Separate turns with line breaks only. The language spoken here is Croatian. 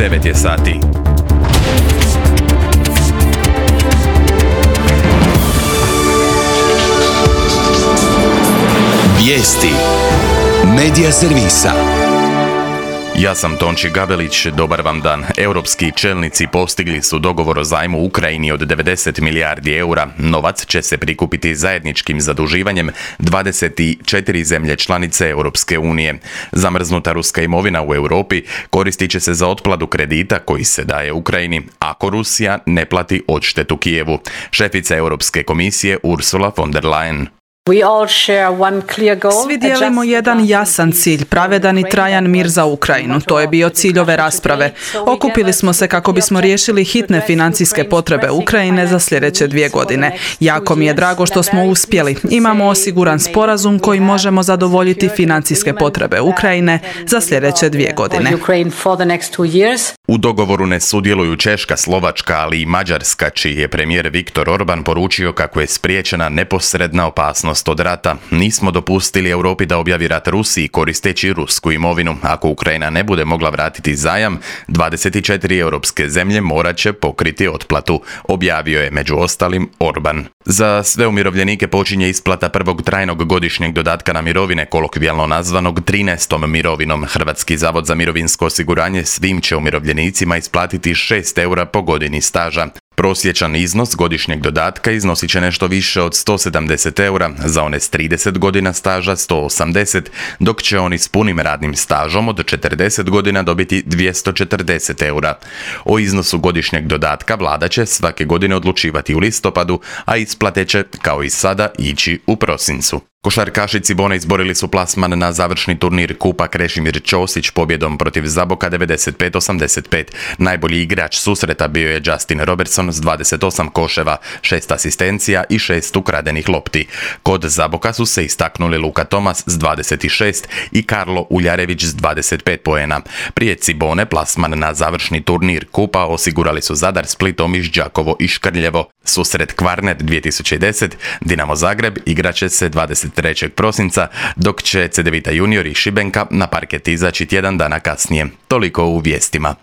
9 je sati.
Vijesti Medija servisa.
Ja sam Tonči Gabelić, dobar vam dan. Europski čelnici postigli su dogovor o zajmu Ukrajini od 90 milijardi eura. Novac će se prikupiti zajedničkim zaduživanjem 24 zemlje članice Europske unije. Zamrznuta ruska imovina u Europi koristit će se za otplatu kredita koji se daje Ukrajini, ako Rusija ne plati odštetu Kijevu. Šefica Europske komisije Ursula von der Leyen.
Svi dijelimo jedan jasan cilj, pravedan i trajan mir za Ukrajinu. To je bio cilj ove rasprave. Okupili smo se kako bismo riješili hitne financijske potrebe Ukrajine za sljedeće 2 godine. Jako mi je drago što smo uspjeli. Imamo osiguran sporazum koji možemo zadovoljiti financijske potrebe Ukrajine za sljedeće 2 godine.
U dogovoru ne sudjeluju Češka, Slovačka, ali i Mađarska, čiji je premijer Viktor Orban poručio kako je spriječena neposredna opasnost od rata. Nismo dopustili Europi da objavi rat Rusiji koristeći rusku imovinu. Ako Ukrajina ne bude mogla vratiti zajam, 24 europske zemlje morat će pokriti otplatu, objavio je među ostalim Orban. Za sve umirovljenike počinje isplata prvog trajnog godišnjeg dodatka na mirovine, kolokvijalno nazvanog 13. mirovinom. Hrvatski zavod za mirovinsko osiguranje svim će umirovljenicima isplatiti 6 eura po godini staža. Prosječan iznos godišnjeg dodatka iznosit će nešto više od 170 eura, za one s 30 godina staža 180, dok će oni s punim radnim stažom od 40 godina dobiti 240 eura. O iznosu godišnjeg dodatka vlada će svake godine odlučivati u listopadu, a isplate će, kao i sada, ići u prosincu. Košarkaši Cibone izborili su plasman na završni turnir Kupa Krešimir Ćosić pobjedom protiv Zaboka 95-85. Najbolji igrač susreta bio je Justin Robertson s 28 koševa, 6 asistencija i 6 ukradenih lopti. Kod Zaboka su se istaknuli Luka Tomas s 26 i Karlo Uljarević s 25 poena. Prije Cibone plasman na završni turnir Kupa osigurali su Zadar, Split, Omiš, Đakovo i Škrljevo. Susret Kvarner 2010, Dinamo Zagreb igraće se 23. prosinca, dok će Cedevita Junior i Šibenka na parket izaći tjedan dana kasnije. Toliko u vijestima.